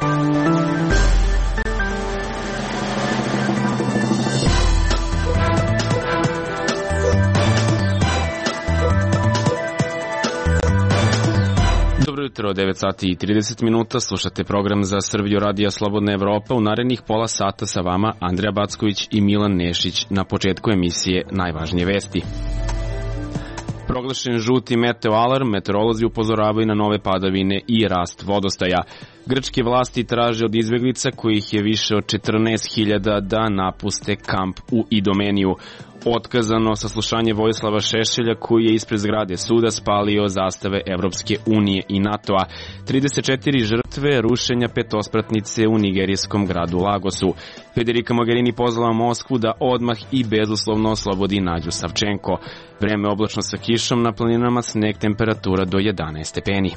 Dobro jutro, 9 sati i 30 minuta, slušate program za Srbiju Radija Slobodna Evropa. U narednih pola sata sa vama Andreja Backović i Milan Nešić. Na početku emisije najvažnije vesti. Proglašen žuti meteo alarm, meteorolozi upozoravaju na nove padavine i rast vodostaja. Grčke vlasti traže od izbeglica, kojih je više od 14.000, da napuste kamp u Idomeniju. Otkazano saslušanje Vojislava Šešelja, koji je ispred zgrade suda spalio zastave Evropske unije i NATO-a. 34 žrtve rušenja petospratnice u nigerijskom gradu Lagosu. Federica Mogherini pozvala Moskvu da odmah i bezuslovno oslobodi Nađu Savčenko. Vreme oblačno sa kišom, na planinama sneg, temperatura do 11 stepeni.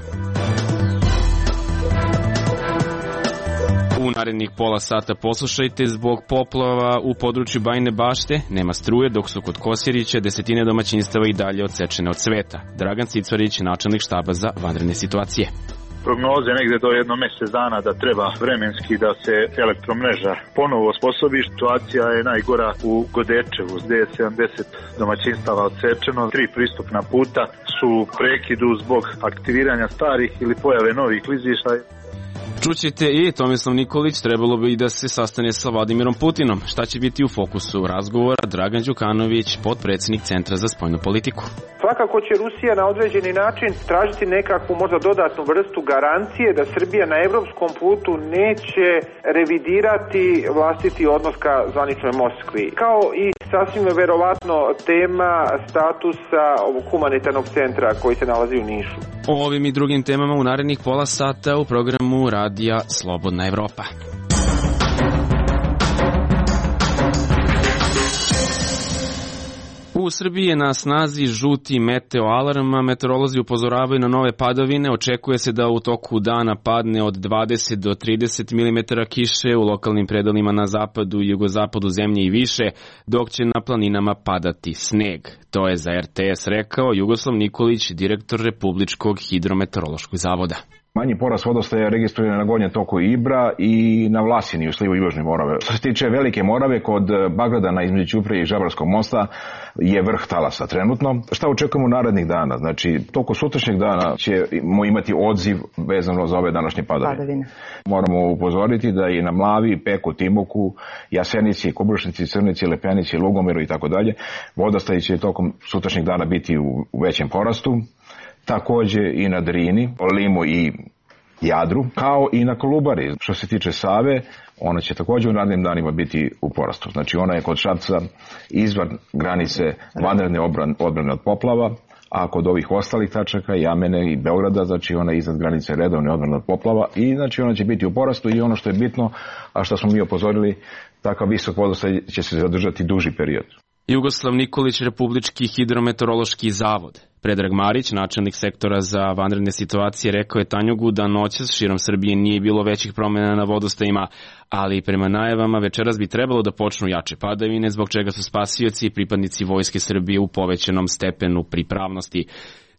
U narednih pola sata poslušajte: zbog poplava u području Bajine Bašte nema struje, dok su kod Kosjerića desetine domaćinstava i dalje odsečene od sveta. Dragan Cicvarić, načelnik štaba za vanredne situacije. Prognoze negde do jedno mesec dana da treba vremenski da se elektromreža ponovo osposobi. Situacija je najgora u Godečevu, gde je 70 domaćinstava odsečeno. 3 pristupna puta su prekidu zbog aktiviranja starih ili pojave novih klizišta. Čućete i Tomislav Nikolić trebalo bi da se sastane sa Vladimirom Putinom. Šta će biti u fokusu razgovora? Dragan Đukanović, potpredsjednik Centra za spoljnu politiku. Svakako će Rusija na određeni način tražiti nekakvu možda dodatnu vrstu garancije da Srbija na evropskom putu neće revidirati vlastiti odnos ka zvaničnoj Moskvi. Kao i sasvim verovatno tema statusa ovog humanitarnog centra koji se nalazi u Nišu. O ovim i drugim temama u narednih pola sata u programu Radija Slobodna Evropa. U Srbiji je na snazi žuti meteo alarm, meteorolozi upozoravaju na nove padavine. Očekuje se da u toku dana padne od 20 do 30 mm kiše u lokalnim predelima na zapadu i jugozapadu zemlje i više, dok će na planinama padati sneg. To je za RTS rekao Jugoslav Nikolić, direktor Republičkog hidrometeorološkog zavoda. Manji porast vodostaja registrujen na gornjem toku Ibra i na Vlasini u slivu Južne Morave. Što se tiče Velike Morave, kod Bagradana između Ćuprije i Žabarskog mosta je vrh talasa trenutno. Šta očekujemo narednih dana? Znači, toko sutrašnjeg dana ćemo imati odziv vezano za ove današnje padavine. Moramo upozoriti da je na Mlavi, Peku, Timoku, Jasenici, Kobrušnici, Crnici, Lepenici, Lugomeru i tako dalje, vodostaj će tokom sutrašnjeg dana biti u većem porastu. Takođe i na Drini, Limu i Jadru, kao i na Kolubari. Što se tiče Save, ona će takođe u narednim danima biti u porastu. Znači ona je kod Šapca izvan granice vanredne odbrane od poplava, a kod ovih ostalih tačaka, Jamene i Beograda, znači ona je iznad granice redovne odbrane od poplava i znači ona će biti u porastu i ono što je bitno, a što smo mi upozorili, takav visok vodostaj će se zadržati duži period. Jugoslav Nikolić, Republički hidrometeorološki zavod. Predrag Marić, načelnik sektora za vanredne situacije, rekao je Tanjugu da noćas širom Srbije nije bilo većih promjena na vodostajima, ali prema najavama večeras bi trebalo da počnu jače padavine, zbog čega su spasioci i pripadnici Vojske Srbije u povećanom stepenu pripravnosti.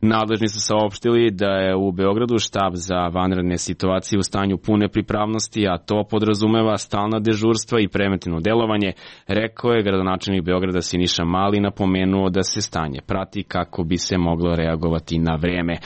Nadležni su saopštili da je u Beogradu štab za vanredne situacije u stanju pune pripravnosti, a to podrazumeva stalna dežurstva i preventivno delovanje, rekao je gradonačelnik Beograda Siniša Mali, napomenuo da se stanje prati kako bi se moglo reagovati na vreme.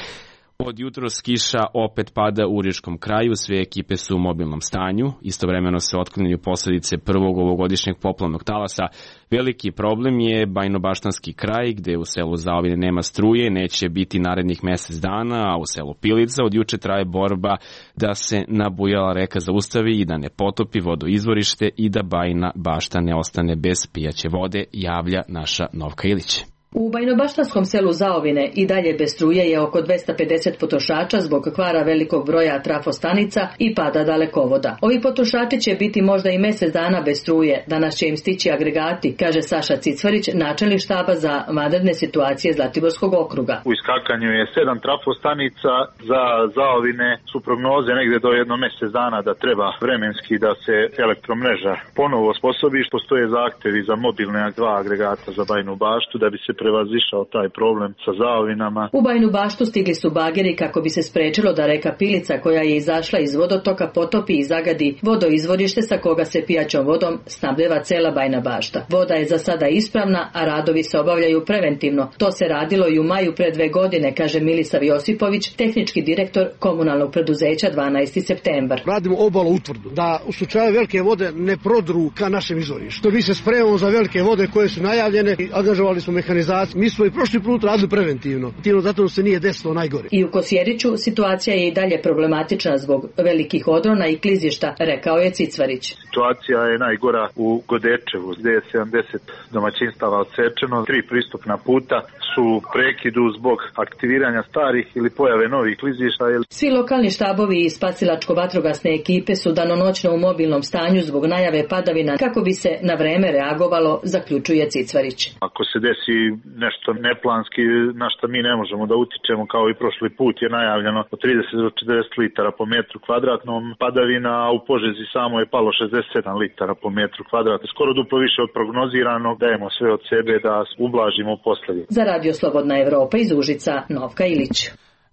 Od jutros kiša opet pada u Riječkom kraju, sve ekipe su u mobilnom stanju, istovremeno se otklanjaju posledice prvog ovogodišnjeg poplavnog talasa. Veliki problem je Bajnobaštanski kraj, gde u selu Zaovine nema struje, neće biti narednih mesec dana, a u selu Pilica od juče traje borba da se nabujala reka zaustavi i da ne potopi vodoizvorište i da Bajina Bašta ne ostane bez pijaće vode, javlja naša Novka Ilić. U Bajnobaštanskom selu Zaovine i dalje bez struje je oko 250 potrošača zbog kvara velikog broja trafostanica i pada dalekovoda. Ovi potrošači će biti možda i mesec dana bez struje. Danas će im stići agregati, kaže Saša Cicvarić, načelnik štaba za vanredne situacije Zlatiborskog okruga. U iskakanju je 7 trafostanica, za Zaovine su prognoze negde do jedno mesec dana da treba vremenski da se elektromreža ponovo osposobi. Postoje zahtevi za mobilne 2 agregata za Bajinu Baštu da bi se prevazišao taj problem sa zaovinama. U Bajinu Baštu stigli su bageri kako bi se sprečilo da reka Pilica, koja je izašla iz vodotoka, potopi i zagadi vodoizvorište sa koga se pijaćom vodom snabdeva cela Bajina Bašta. Voda je za sada ispravna, a radovi se obavljaju preventivno. To se radilo i u maju pre 2 godine, kaže Milisav Josipović, tehnički direktor komunalnog preduzeća 12. septembar. Radimo obalu utvrdu, da u slučaju velike vode ne prodru ka našem izvorištu. Mi se spremamo za velike vode koje su najavljene i angažovali smo mehanizaciju. Mi smo i prošli put radili preventivno. Zato se nije desilo najgore. I u Kosjeriću situacija je i dalje problematična zbog velikih odrona i klizišta, rekao je Cicvarić. Situacija je najgora u Godečevu, gde je 70 domaćinstava odsečeno, 3 pristupna puta su prekidu zbog aktiviranja starih ili pojave novih klizišta. Svi lokalni štabovi i spasilačko-vatrogasne ekipe su danonoćno u mobilnom stanju zbog najave padavina kako bi se na vreme reagovalo, zaključuje Cicvarić. Ako se desi nešto neplanski na što mi ne možemo da utičemo, kao i prošli put je najavljeno od 30 do 40 litara po metru kvadratnom padavina, a u Požegi samo je palo 67 litara po metru kvadratnom. Skoro duplo više od prognoziranog. Dajemo sve od sebe da ublažimo posljedice. Za Radio Slobodna Evropa iz Užica, Novka Ilić.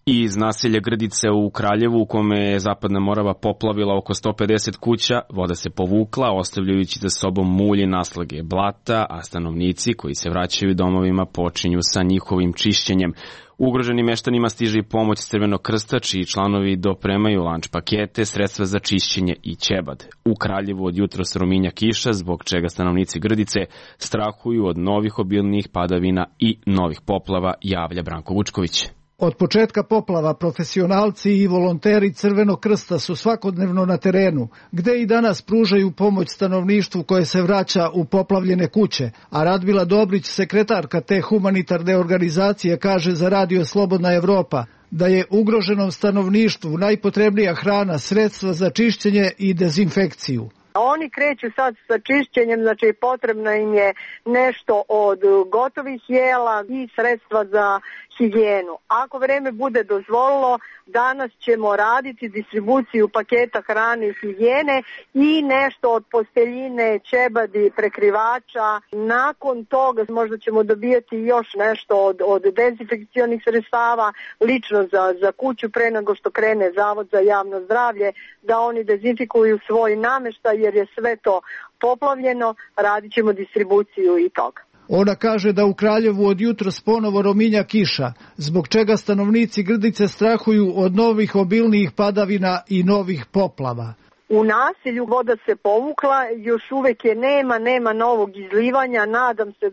I iz naselja Grdice u Kraljevu, u kome je Zapadna Morava poplavila oko 150 kuća, voda se povukla, ostavljajući za sobom mulj i naslage blata, a stanovnici koji se vraćaju domovima počinju sa njihovim čišćenjem. Ugroženim meštanima stiže i pomoć Crvenog krsta, čiji članovi dopremaju lanč pakete, sredstva za čišćenje i ćebad. U Kraljevu od jutros rominja kiša, zbog čega stanovnici Grdice strahuju od novih obilnijih padavina i novih poplava, javlja Branko Vučković. Od početka poplava profesionalci i volonteri Crvenog krsta su svakodnevno na terenu, gde i danas pružaju pomoć stanovništvu koje se vraća u poplavljene kuće, a Radmila Dobrić, sekretarka te humanitarne organizacije, kaže za Radio Slobodna Evropa da je ugroženom stanovništvu najpotrebnija hrana, sredstva za čišćenje i dezinfekciju. Oni kreću sad sa čišćenjem, znači potrebno im je nešto od gotovih jela i sredstva za higijenu. Ako vreme bude dozvolilo, danas ćemo raditi distribuciju paketa hrane i higijene i nešto od posteljine, ćebadi, prekrivača. Nakon toga možda ćemo dobijati još nešto od dezinfekcionih sredstava, lično za kuću pre nego što krene Zavod za javno zdravlje, da oni dezinfikuju svoj nameštaj jer je sve to poplavljeno, radit ćemo distribuciju i toga. Ona kaže da u Kraljevu od jutros ponovo rominja kiša, zbog čega stanovnici Grdice strahuju od novih obilnijih padavina i novih poplava. U naselju voda se povukla, još uvek je nema novog izlivanja, nadam se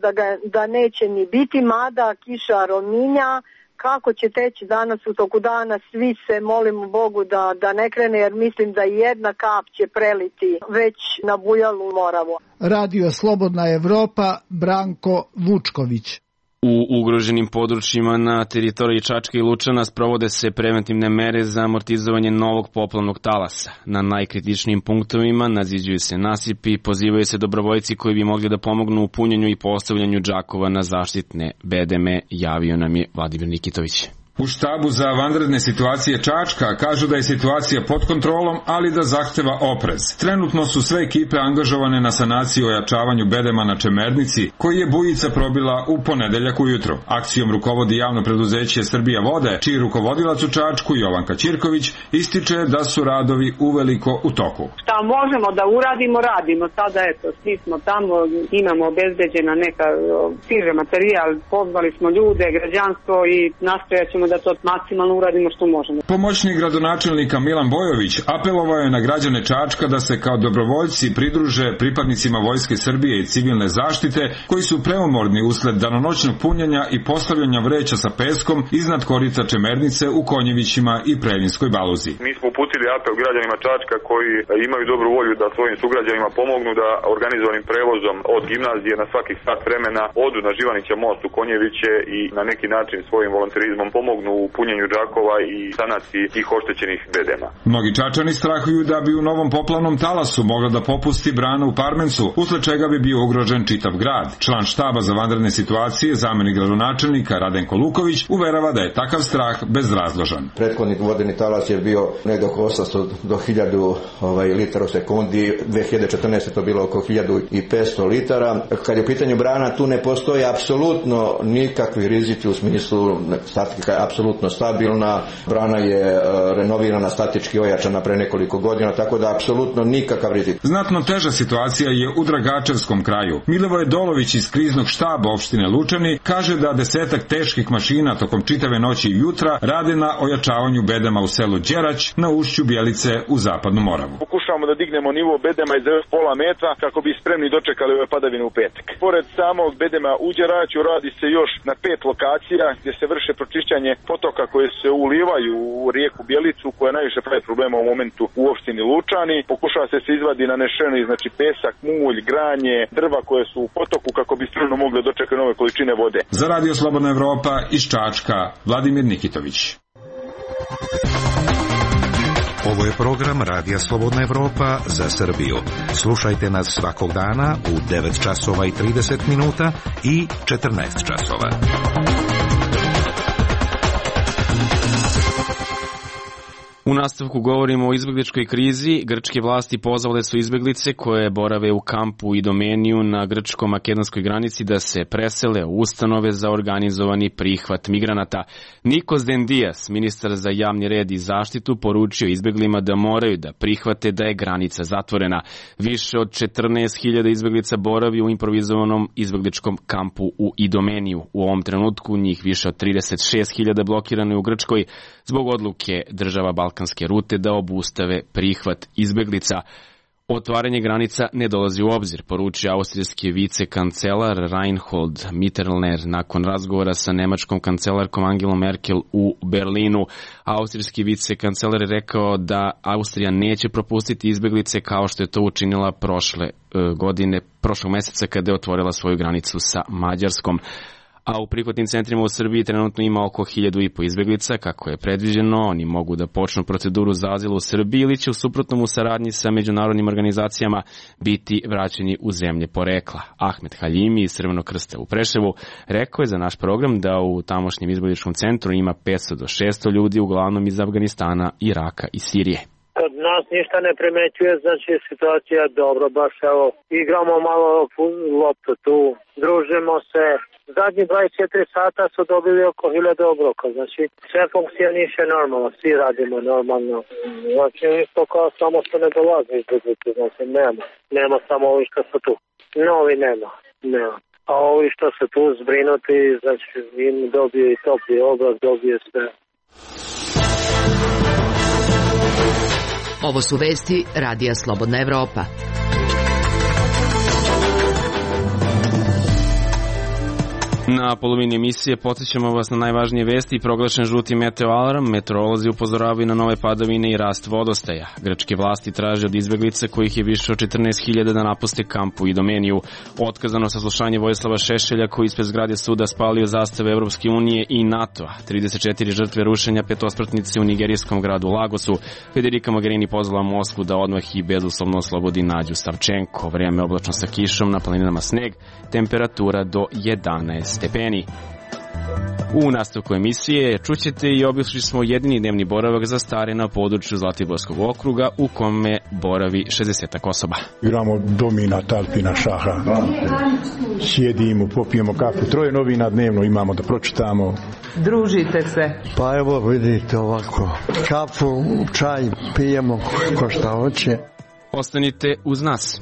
da neće ni biti, mada kiša rominja. Kako će teći danas u toku dana, svi se molimo Bogu da ne krene, jer mislim da jedna kap će preliti već na bujalu Moravu. Radio Slobodna Evropa, Branko Vučković. U ugroženim područjima na teritoriji Čačka i Lučana sprovode se preventivne mere za amortizovanje novog poplavnog talasa. Na najkritičnijim punktovima naziđuju se nasipi i pozivaju se dobrovoljci koji bi mogli da pomognu u punjenju i postavljanju džakova na zaštitne bedeme, javio nam je Vladimir Nikitović. U štabu za vanredne situacije Čačka kažu da je situacija pod kontrolom, ali da zahteva oprez. Trenutno su sve ekipe angažovane na sanaciji i ojačavanju bedema na Čemernici, koji je bujica probila u ponedeljak ujutro. Akcijom rukovodi javno preduzeće Srbija vode, čiji rukovodilac u Čačku, Jovanka Ćirković, ističe da su radovi uveliko u toku. Šta možemo da uradimo, radimo. Sada eto, svi smo tamo, imamo obezbeđena neka stiže materijal, pozvali smo ljude, građanstvo i nastojaćemo da to maksimalno uradimo što možemo. Pomoćnik gradonačelnika Milan Bojović apelovao je na građane Čačka da se kao dobrovoljci pridruže pripadnicima Vojske Srbije i civilne zaštite koji su preumorni usled danonoćnog punjenja i postavljanja vreća sa peskom iznad korica Čemernice u Konjevićima i Preljinskoj Baluzi. Mi smo uputili apel građanima Čačka koji imaju dobru volju da svojim sugrađanima pomognu da organizovanim prevozom od gimnazije na svakih sat vremena odu na Živanića most u Konjeviće i na neki način svojim volonterizmom pomognu pomognu u punjenju džakova i sanaciji tih oštećenih bedema. Mnogi Čačani strahuju da bi u novom poplavnom talasu mogla da popusti brana u Parmencu, usled čega bi bio ugrožen čitav grad. Član štaba za vanredne situacije, zamenik gradonačelnika Radenko Luković, uverava da je takav strah bezrazložan. Prethodni vodeni talas je bio negdje oko 800 do 1000 litara u sekundi, 2014. to bilo oko 1500 litara. Kad je u pitanju brana, tu ne postoji apsolutno nikakvi rizici u smislu statika je apsolutno stabilna, brana je renovirana, statički ojačana pre nekoliko godina, tako da apsolutno nikakav rizik. Znatno teža situacija je u Dragačevskom kraju. Milivoje Dolović iz kriznog štaba opštine Lučani kaže da 10 teških mašina tokom čitave noći i jutra rade na ojačavanju bedema u selu Đerać na ušću Bjelice u Zapadnu Moravu. Pokušavamo da dignemo nivo bedema iz pola metra kako bi spremni dočekali ove padavine u petak. Pored samog bedema u Đeraću radi se još na 5 lokacija gdje se vrše pročišćanje potoka koje se ulivaju u rijeku Bjelicu, koja najviše pravi problema u momentu u opštini Lučani. Pokušava se izvadi nanešeni, znači pesak, mulj, granje, drva koje su u potoku kako bi spremno mogli dočekati nove količine vode. Za Radio Slobodna Evropa iz Čačka, Vladimir Nikitović. Ovo je program Radija Slobodna Evropa za Srbiju. Slušajte nas svakog dana u 9 časova i 30 minuta i 14 časova. U nastavku govorimo o izbegličkoj krizi. Grčke vlasti pozvale su izbeglice koje borave u kampu Idomeniju na grčko-makedonskoj granici da se presele u ustanove za organizovani prihvat migranata. Nikos Dendias, ministar za javni red i zaštitu, poručio izbeglima da moraju da prihvate da je granica zatvorena. Više od 14.000 izbeglica boravi u improvizovanom izbegličkom kampu u Idomeniju. U ovom trenutku njih više od 36.000 blokirano je u Grčkoj zbog odluke država balkanske rute da obustave prihvat izbeglica. Otvaranje granica ne dolazi u obzir, poručio austrijski vicekancelar Reinhold Mitterner nakon razgovora sa nemačkom kancelarkom Angelom Merkel u Berlinu. Austrijski vicekancelar je rekao da Austrija neće propustiti izbeglice kao što je to učinila prošlog meseca kada je otvorila svoju granicu sa Mađarskom. A u prihvatnim centrima u Srbiji trenutno ima oko 1.500 izbeglica, kako je predviđeno. Oni mogu da počnu proceduru za azil u Srbiji ili će u suprotnom u saradnji sa međunarodnim organizacijama biti vraćeni u zemlje porekla. Ahmet Haljimi iz Crvenog krsta u Preševu rekao je za naš program da u tamošnjem izbegličkom centru ima 500 do 600 ljudi, uglavnom iz Afganistana, Iraka i Sirije. Kod nas ništa ne primećuje, znači situacija je dobro, baš evo, igramo malo loptu tu, družimo se. Zadnji 24 sata su dobili oko 1000 obroka, znači sve funkcioniše normalno, svi radimo normalno. Znači isto kao samo što ne dolazi izbjeglice, znači nema samo ovi što su tu. Novi nema. A ovi što su tu zbrinuti, znači im dobije i topli obrok, dobije sve. Ovo su vesti Radija Slobodna Evropa. Na polovini emisije podsjećamo vas na najvažnije vesti i proglašen žuti meteoalarm. Meteorolozi upozoravaju na nove padavine i rast vodostaja. Grčke vlasti traže od izbeglica, kojih je više od 14.000, da napuste kamp u Idomeniju. Otkazano saslušanje Vojislava Šešelja, koji ispred zgrade suda spalio zastave Evropske unije i NATO-a. 34 žrtve rušenja petospratnice u nigerijskom gradu Lagosu. Federica Mogherini pozvala Moskvu da odmah i bezuslovno oslobodi Nađu Savčenko. Vrijeme oblačno sa kišom, na planinama sneg, temperatura do 11 stepeni. U nastavku emisije čućete i obišli smo jedini dnevni boravak za stare na području Zlatiborskog okruga u kome boravi 60 osoba. Igramo domina, talpina, šaha. Sjedimo, popijemo kafu. 3 novina dnevno imamo da pročitamo. Družite se. Pa evo vidite ovako. Kafu, čaj pijemo ko šta hoće. Ostanite uz nas.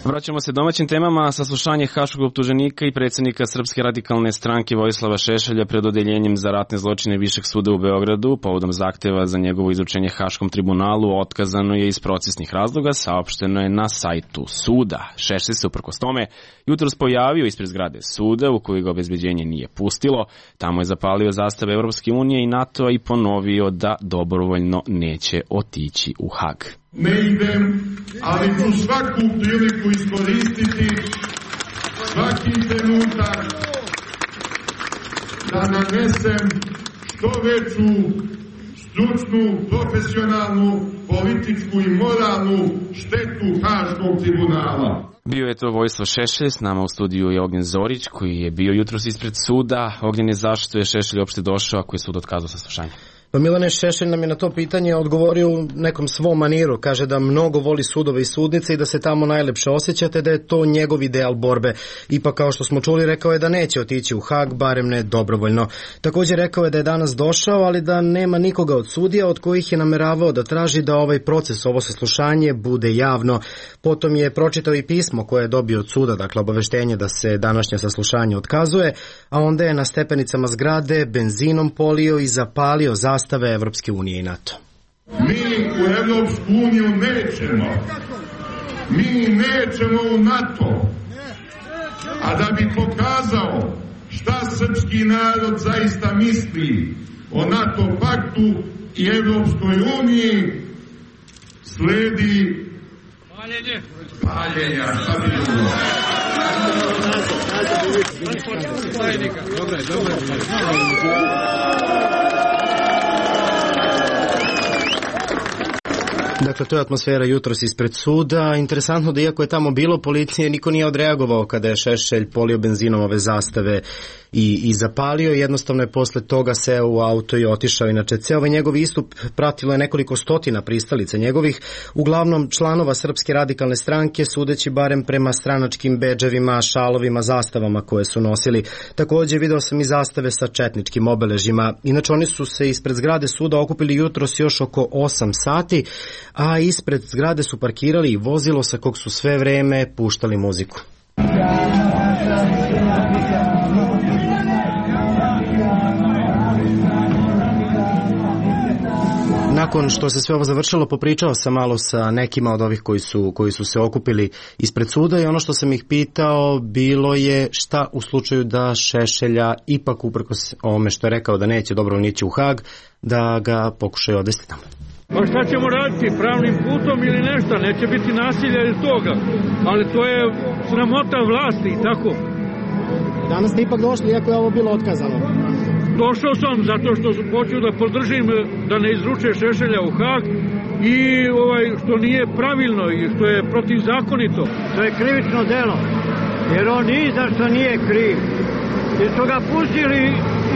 Vraćamo se domaćim temama. Saslušanje haškog optuženika i predsjednika Srpske radikalne stranke Vojislava Šešelja pred odeljenjem za ratne zločine Višeg suda u Beogradu povodom zahteva za njegovo izručenje Haškom tribunalu otkazano je iz procesnih razloga, saopšteno je na sajtu suda. Šešelj se uprkos tome jutros pojavio ispred zgrade suda u kojoj ga obezbeđenje nije pustilo. Tamo je zapalio zastave Evropske unije i NATO-a i ponovio da dobrovoljno neće otići u Hag. Ne idem, ali ću svaku priliku iskoristiti svaki trenutak da nanesem što veću stručnu, profesionalnu, političku i moralnu štetu Haškog tribunala. Bio je to Vojislav Šešelj, s nama u studiju je Ognjen Zorić, koji je bio jutros ispred suda. Ognjen, zašto je Šešelj uopšte došao ako je sud otkazao saslušanje? Pa Milane, Šešelj nam je na to pitanje odgovorio u nekom svom maniru. Kaže da mnogo voli sudove i sudnice i da se tamo najlepše osjećate, da je to njegov ideal borbe. Ipak, kao što smo čuli, rekao je da neće otići u Hag, barem ne dobrovoljno. Također rekao je da je danas došao, ali da nema nikoga od sudija od kojih je nameravao da traži da ovaj proces, ovo saslušanje, bude javno. Potom je pročitao i pismo koje je dobio od suda, dakle obaveštenje da se današnje saslušanje otkazuje, a onda je na stepenicama zgrade benzinom polio i zapalio zastave Evropske unije i NATO. Mi u Evropsku uniju nećemo. Mi nećemo u NATO. A da bi pokazao šta srpski narod zaista misli o NATO paktu i Evropskoj uniji, sledi paljenja. Dakle, to je atmosfera jutros ispred suda. Interesantno da iako je tamo bilo policije, niko nije odreagovao kada je Šešelj polio benzinom ove zastave i zapalio. Jednostavno je posle toga seo u auto i otišao. Inače, ceo ovaj njegov istup pratilo je nekoliko stotina pristalica njegovih, uglavnom članova Srpske radikalne stranke, sudeći barem prema stranačkim bedževima, šalovima, zastavama koje su nosili. Također video sam i zastave sa četničkim obeležjima. Inače, oni su se ispred zgrade suda okupili jutros još oko 8 sati, a ispred zgrade su parkirali i vozilo sa kog su sve vreme puštali muziku. Nakon što se sve ovo završilo, popričao sam malo sa nekima od ovih koji su se okupili ispred suda i ono što sam ih pitao bilo je šta u slučaju da Šešelja ipak, uprkos ovome što je rekao da neće dobro nići u Hag, da ga pokušaju odvesti tamo. Pa šta ćemo raditi, pravnim putom ili nešto, neće biti nasilja iz toga, ali to je sramota vlasti i tako. Danas ste ipak došli, iako je ovo bilo otkazano. Došao sam zato što hoću da podržim da ne izruče Šešelja u Hag i što nije pravilno i što je protivzakonito. To je krivično delo, jer on ni zašto nije kriv. Jer su ga pustili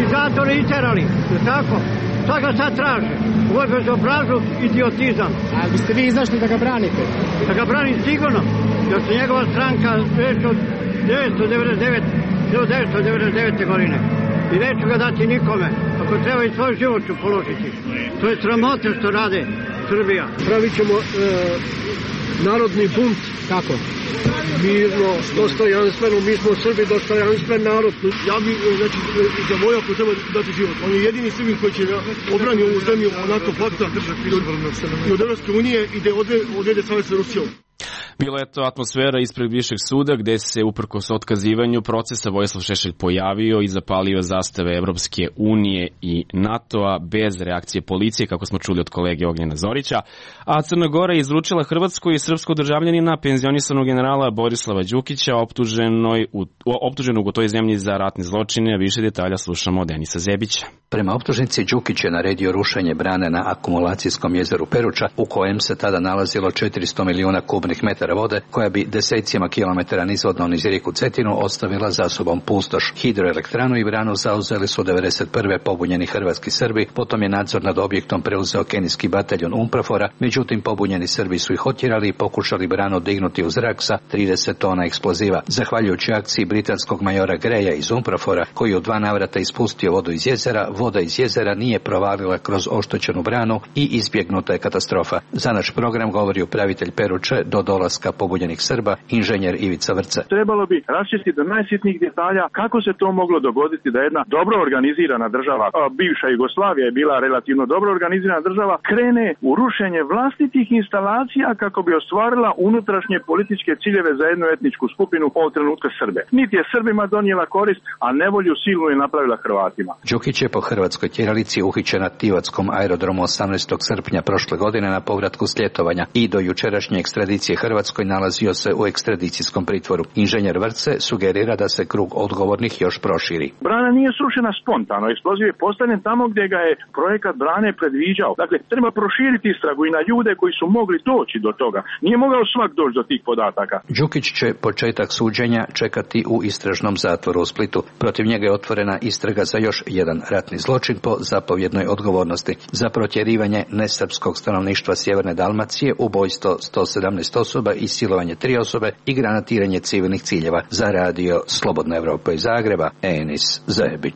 i zatvore iterali, je tako? Šta ga sad traže? Ovo je bezobrazluk, idiotizam. Ali biste vi izašli da ga branite? Da ga branim sigurno, jer se njegova stranka već od 1999. godine. I neću ga dati nikome. Ako treba i svoj život ću položiti. To je sramota što rade Srbija. Pravit ćemo narodni bunt. Kako? Mirno, dostojanstveno, mi smo Srbi, dostojanstven narod. Ja bi, znači, za vojaka treba dati život. On je jedini Srbin koji će obrani ovu zemlju NATO pakta i od Evropske unije i da odvede savez sa Rusijom. Bila je to atmosfera ispred višeg suda gde se uprkos otkazivanju procesa Vojislav Šešelj pojavio i zapalio zastave Evropske unije i NATO-a bez reakcije policije, kako smo čuli od kolege Ognjena Zorića. A Crna Gora je izručila hrvatsko i srpsko državljanina penzionisanog generala Borislava Đukića optuženog u toj zemlji za ratne zločine. Više detalja slušamo od Denisa Zebića. Prema optužnici Đukić je naredio rušenje brane na akumulacijskom jezeru Peruča, u kojem se tada nalazilo 400 milijuna kubnih metara vode, koja bi desecima kilometara nizvodno niz rijeku Cetinu ostavila za sobom pustoš. Hidroelektranu i branu zauzeli su 1991. pobunjeni hrvatski Srbi, potom je nadzor nad objektom preuzeo kenijski bataljon UNPROFOR-a, međutim pobunjeni Srbi su ih otjerali i pokušali branu dignuti u zrak sa 30 tona eksploziva. Zahvaljujući akciji britanskog majora Greja iz UNPROFOR-a, koji u 2 navrata ispustio vodu iz jezera, voda iz jezera nije provalila kroz oštećenu branu i izbjegnuta je katastrofa. Za naš program govori upravitelj Peruče do dolaska pobunjenih Srba, inženjer Ivica Vrce. Trebalo bi raščistiti do najsitnijih detalja kako se to moglo dogoditi da jedna dobro organizirana država, bivša Jugoslavija je bila relativno dobro organizirana država, krene u rušenje vlastitih instalacija kako bi ostvarila unutrašnje političke ciljeve za jednu etničku skupinu, ovog trenutka Srbe. Niti je Srbima donijela korist, a nevolju silnu je napravila Hrvatima. Đukić je po hrvatskoj tjeralici uhićen na Tivatskom aerodromu 18. srpnja prošle godine na povratku s ljetovanja i do jučerašnje ekstradicije Hrvatskoj Hrvatskoj nalazio se u ekstradicijskom pritvoru. Inženjer Vrce sugerira da se krug odgovornih još proširi. Brana nije srušena spontano, eksploziv je postavljen tamo gdje ga je projekat brane predviđao. Dakle, treba proširiti istragu i na ljude koji su mogli doći do toga. Nije mogao svak doći do tih podataka. Đukić će početak suđenja čekati u istražnom zatvoru u Splitu. Protiv njega je otvorena istraga za još jedan ratni zločin po zapovjednoj odgovornosti. Za protjerivanje nesrpskog stanovništva Sjeverne Dalmacije, ubojstvo 117 osoba i silovanje 3 osobe i granatiranje civilnih ciljeva. Za radio Slobodna Evropa iz Zagreba, Enis Zajebić.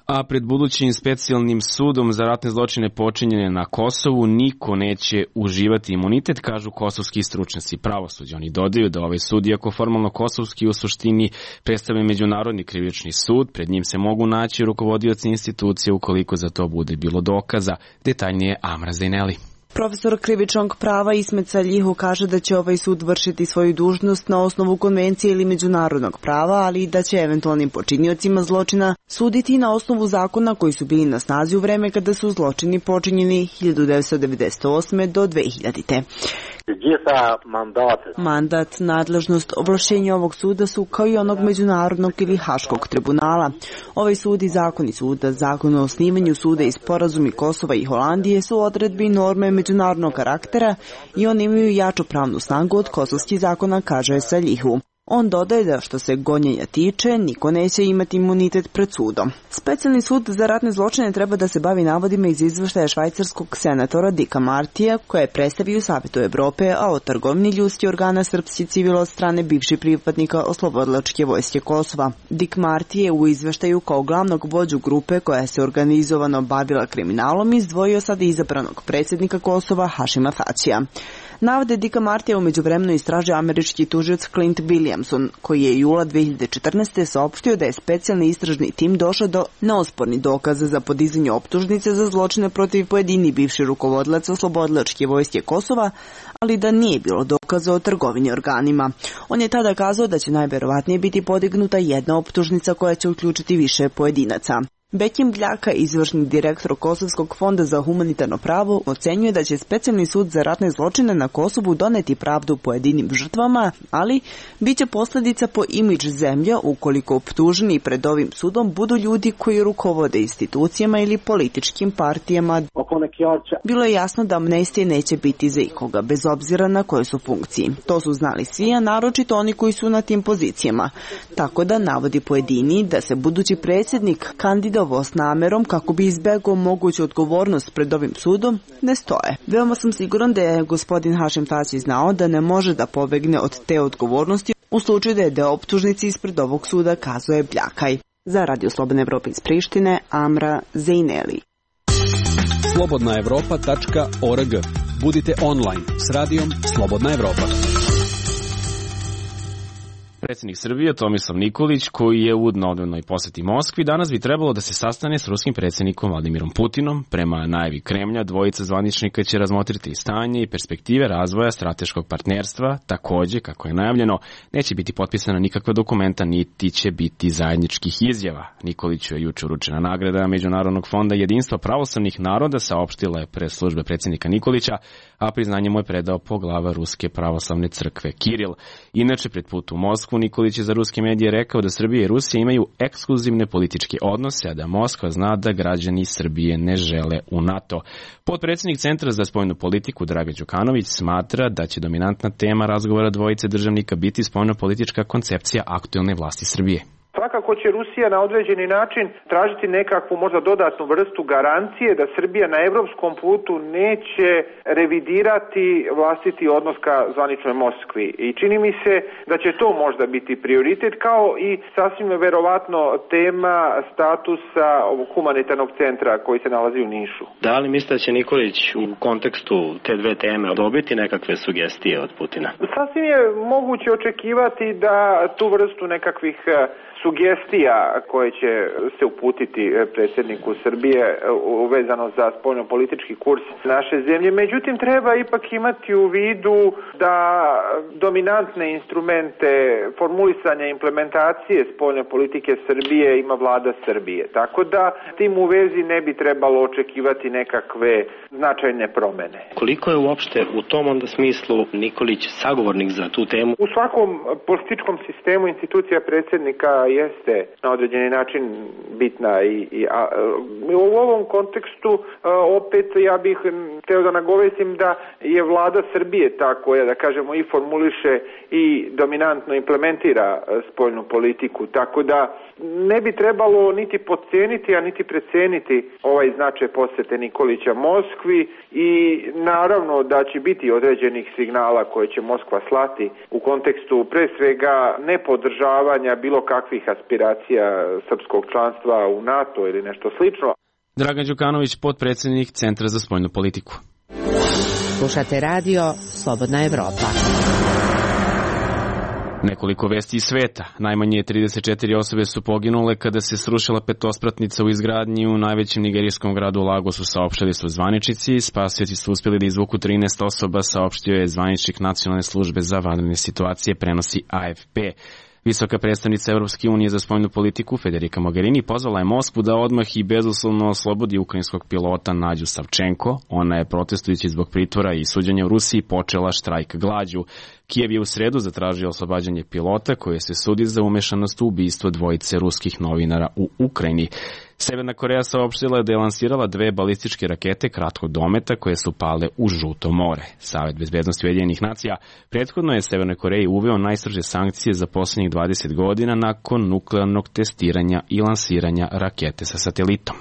A pred budućim specijalnim sudom za ratne zločine počinjene na Kosovu niko neće uživati imunitet, kažu kosovski stručnjaci pravosuđa. Oni dodaju da ovaj sud, iako formalno kosovski, u suštini predstavlja međunarodni krivični sud, pred njim se mogu naći rukovodioci institucije ukoliko za to bude bilo dokaza. Detaljnije Amra Zejneli. Profesor krivičnog prava Ismet Saljihu kaže da će ovaj sud vršiti svoju dužnost na osnovu konvencije ili međunarodnog prava, ali i da će eventualnim počiniocima zločina suditi na osnovu zakona koji su bili na snazi u vreme kada su zločini počinjeni 1998. do 2000. Mandat, nadležnost, ovlašćenja ovog suda su kao i onog međunarodnog ili haškog tribunala. Ovaj sud i zakoni suda, zakon o osnivanju suda i sporazumi Kosova i Holandije su odredbi i norme međunarodnog karaktera i oni imaju jaču pravnu snagu od kosovskih zakona, kaže Saljihu. On dodaje da što se gonjenja tiče, niko neće imati imunitet pred sudom. Specijalni sud za ratne zločine treba da se bavi navodima iz izveštaja švajcarskog senatora Dika Martija, koje je predstavio Savetu Evrope, a o trgovini ljudskih organa srpskih civila od strane bivših pripadnika Oslobodilačke vojske Kosova. Dik Marti je u izveštaju kao glavnog vođu grupe koja se organizovano bavila kriminalom izdvojio sada izabranog predsjednika Kosova Hašima Tačija. Navode Dika Martija u međuvremenu istražio američki tužilac Clint Williamson, koji je jula 2014. saopštio da je specijalni istražni tim došao do neospornih dokaza za podizanje optužnice za zločine protiv pojedinih bivših rukovodilaca Oslobodilačke vojske Kosova, ali da nije bilo dokaza o trgovini organima. On je tada kazao da će najverovatnije biti podignuta jedna optužnica koja će uključiti više pojedinaca. Bekim Bljaka, izvršni direktor Kosovskog fonda za humanitarno pravo, ocenjuje da će specijalni sud za ratne zločine na Kosovu doneti pravdu pojedinim žrtvama, ali bit će posljedica po imidž zemlja ukoliko optuženi pred ovim sudom budu ljudi koji rukovode institucijama ili političkim partijama. Bilo je jasno da amnestije neće biti za ikoga, bez obzira na koje su funkciji. To su znali svi, a naročito oni koji su na tim pozicijama. Tako da navodi pojedini da se budući predsjednik kandidovao s namerom kako bi izbegao moguću odgovornost pred ovim sudom, ne stoje. Veoma sam siguran da je gospodin Hašim Tači znao da ne može da pobegne od te odgovornosti u slučaju da je deo optužnici ispred ovog suda, kazuje Bljakaj. Za Radio Slobodna Evropa iz Prištine, Amra Zejneli. slobodnaevropa.org. Budite online s radijom Slobodna Evropa. Predsjednik Srbije Tomislav Nikolić, koji je u dnevnoj posjeti Moskvi, danas bi trebalo da se sastane s ruskim predsjednikom Vladimirom Putinom. Prema najavi Kremlja, dvojica zvaničnika će razmotriti stanje i perspektive razvoja strateškog partnerstva. Također, kako je najavljeno, neće biti potpisana nikakva dokumenta, niti će biti zajedničkih izjava. Nikoliću je juče uručena nagrada Međunarodnog fonda jedinstva pravoslavnih naroda, saopštila je pres službe predsjednika Nikolića, a priznanje mu je predao poglava Ruske pravoslavne crkve Kiril. Inače, pred put u Moskvu, Nikolić je za ruske medije rekao da Srbija i Rusija imaju ekskluzivne političke odnose, a da Moskva zna da građani Srbije ne žele u NATO. Potpredsjednik Centra za spoljnu politiku Dragan Đukanović smatra da će dominantna tema razgovora dvojice državnika biti spoljnopolitička koncepcija aktuelne vlasti Srbije. Svakako će Rusija na određeni način tražiti nekakvu možda dodatnu vrstu garancije da Srbija na evropskom putu neće revidirati vlastiti odnos ka zvaničnoj Moskvi. I čini mi se da će to možda biti prioritet, kao i sasvim verovatno tema statusa ovog humanitarnog centra koji se nalazi u Nišu. Da li mislite da će Nikolić u kontekstu te dve teme dobiti nekakve sugestije od Putina? Sasvim je moguće očekivati da tu vrstu nekakvih sugestija koje će se uputiti predsjedniku Srbije vezano za spoljnopolitički kurs naše zemlje. Međutim, treba ipak imati u vidu da dominantne instrumente formulisanja implementacije spoljne politike Srbije ima vlada Srbije. Tako da tim u vezi ne bi trebalo očekivati nekakve značajne promene. Koliko je uopšte u tom onda smislu Nikolić sagovornik za tu temu? U svakom političkom sistemu institucija predsjednika jeste na određeni način bitna i u ovom kontekstu opet ja bih hteo da nagovesim da je vlada Srbije ta koja, da kažemo, i formuliše i dominantno implementira spoljnu politiku, tako da ne bi trebalo niti podceniti, a niti preceniti ovaj značaj posete Nikolića Moskvi i naravno da će biti određenih signala koje će Moskva slati u kontekstu pre svega nepodržavanja bilo kakvih aspiracija srpskog članstva u NATO ili nešto slično. Dragan Đukanović, potpredsjednik Centra za spoljnu politiku. Slušate radio Slobodna Evropa. Nekoliko vesti iz sveta. Najmanje 34 osobe su poginule kada se srušila petospratnica u izgradnji u najvećem nigerijskom gradu Lagosu, saopštili su zvaničnici. Spasioci su uspjeli da izvuku 13 osoba, saopštio je zvaničnik Nacionalne službe za vanredne situacije, prenosi AFP. Visoka predstavnica Evropske unije za spoljnu politiku Federica Mogherini pozvala je Moskvu da odmah i bezuslovno oslobodi ukrajinskog pilota Nađu Savčenko. Ona je protestujući zbog pritvora i suđenja u Rusiji počela štrajk glađu. Kijev je u sredu zatražio oslobađanje pilota koji se sudi za umešanost u ubistvo dvojice ruskih novinara u Ukrajini. Severna Koreja saopštila da je lansirala 2 balističke rakete kratkog dometa koje su pale u Žuto more. Savet bezbednosti Ujedinjenih nacija prethodno je Severnoj Koreji uveo najstrože sankcije za posljednjih 20 godina nakon nuklearnog testiranja i lansiranja rakete sa satelitom.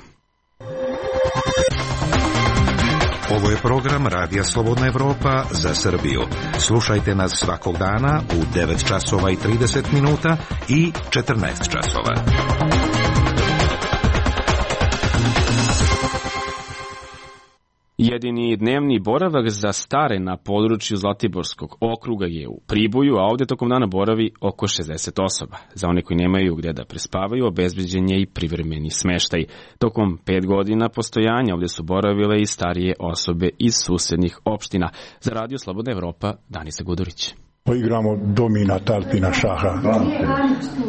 Ovo je program Radija Slobodna Evropa za Srbiju. Slušajte nas svakog dana u 9 časova i 30 minuta i 14 časova. Jedini dnevni boravak za stare na području Zlatiborskog okruga je u Priboju, a ovdje tokom dana boravi oko 60 osoba. Za one koji nemaju gdje da prespavaju, obezbeđen je i privremeni smeštaj. Tokom 5 godina postojanja ovdje su boravile i starije osobe iz susjednih opština. Za Radio Slobodna Evropa, Danica Gudurić. Igramo domina, talpina, šaha.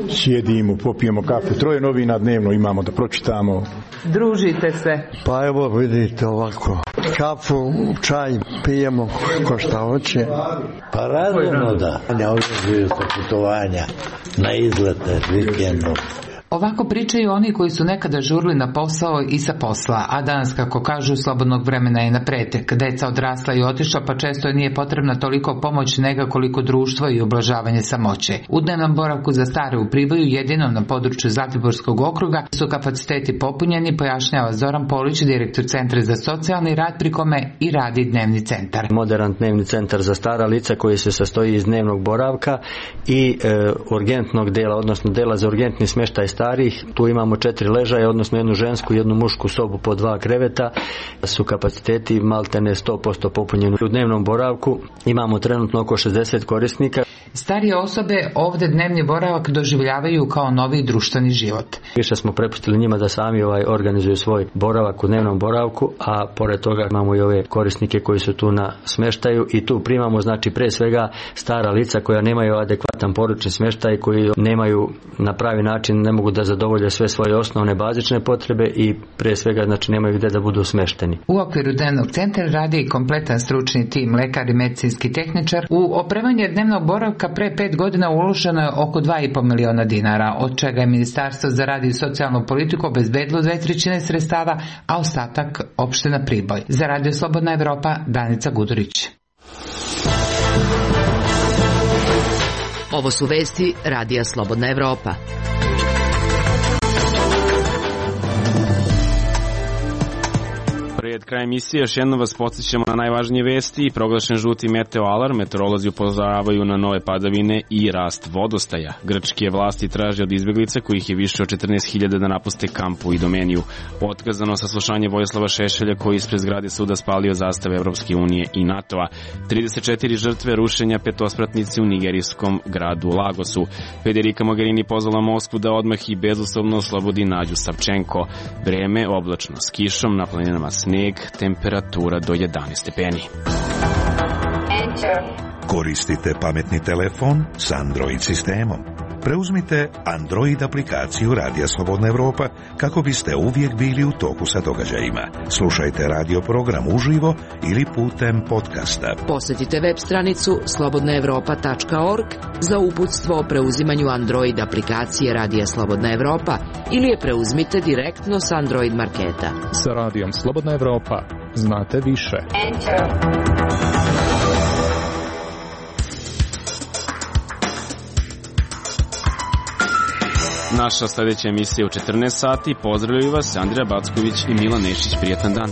Sjedimo, popijemo kafu. 3 novina dnevno imamo da pročitamo. Družite se. Pa evo vidite ovako. Kafu, čaj pijemo ko šta hoće. Pa razumno da. Ne odlažuju sa putovanja na izlete vikendom. Ovako pričaju oni koji su nekada žurili na posao i sa posla, a danas, kako kažu, slobodnog vremena je na pretek. Deca odrasla i otišla, pa često nije potrebna toliko pomoć nego koliko društvo i ublažavanje samoće. U dnevnom boravku za stare u Priboju, jedinom na području Zlatiborskog okruga, su kapaciteti popunjeni, pojašnjava Zoran Polić, direktor Centra za socijalni rad, pri kome i radi dnevni centar. Moderan dnevni centar za stara lica koji se sastoji iz dnevnog boravka i urgentnog dela, odnosno dela za urgentni smještaj starih. Tu imamo 4 ležaje, odnosno jednu žensku i jednu mušku sobu po 2 kreveta. Su kapaciteti maltene 100% popunjeni. U dnevnom boravku imamo trenutno oko 60 korisnika. Starije osobe ovdje dnevni boravak doživljavaju kao novi društveni život. Više smo prepustili njima da sami organizuju svoj boravak u dnevnom boravku, a pored toga imamo i ove korisnike koji su tu na smještaju i tu primamo, znači, pre svega stara lica koja nemaju adekvatan porodični smještaj, koji nemaju na pravi način, ne mogu da zadovolje sve svoje osnovne bazične potrebe i pre svega, znači, nemaju gdje da budu smešteni. U okviru dnevnog centra radi i kompletan stručni tim, lekar i medicinski tehničar. U opremanje dnevnog boravka pre 5 godina uloženo je oko 2,5 miliona dinara, od čega je Ministarstvo za rad i socijalnu politiku obezbedilo 2/3 sredstava, a ostatak opština Priboj. Za Radio Slobodna Evropa, Danica Gudurić. Ovo su vesti Radija Slobodna Evropa. Pred krajem emisije još jednom vas podsjećamo na najvažnije vesti. Proglašen žuti meteo alarm, meteorolozi upozoravaju na nove padavine i rast vodostaja. Grčke vlasti traže od izbeglica, kojih je više od 14.000, da napuste kamp u Idomeniju. Otkazano saslušanje Vojislava Šešelja, koji ispred zgrade suda spalio zastave Evropske unije i NATO-a. 34 žrtve rušenja petospratnice u nigerijskom gradu Lagosu. Federica Mogherini pozvala Moskvu da odmah i bezuslovno oslobodi Nađu Savčenko. Vreme oblačno s kišom, na planinama sneg, temperatura do 11 stepeni. Koristite pametni telefon s Android sistemom. Preuzmite Android aplikaciju Radija Slobodna Evropa kako biste uvijek bili u toku sa događajima. Slušajte radio program uživo ili putem podcasta. Posjetite web stranicu slobodnaevropa.org za uputstvo o preuzimanju Android aplikacije Radija Slobodna Evropa ili je preuzmite direktno s Android marketa. Sa Radijom Slobodna Evropa znate više. Naša sljedeća emisija u 14 sati. Pozdravljaju vas Andrija Backović i Milan Nešić. Prijatan dan.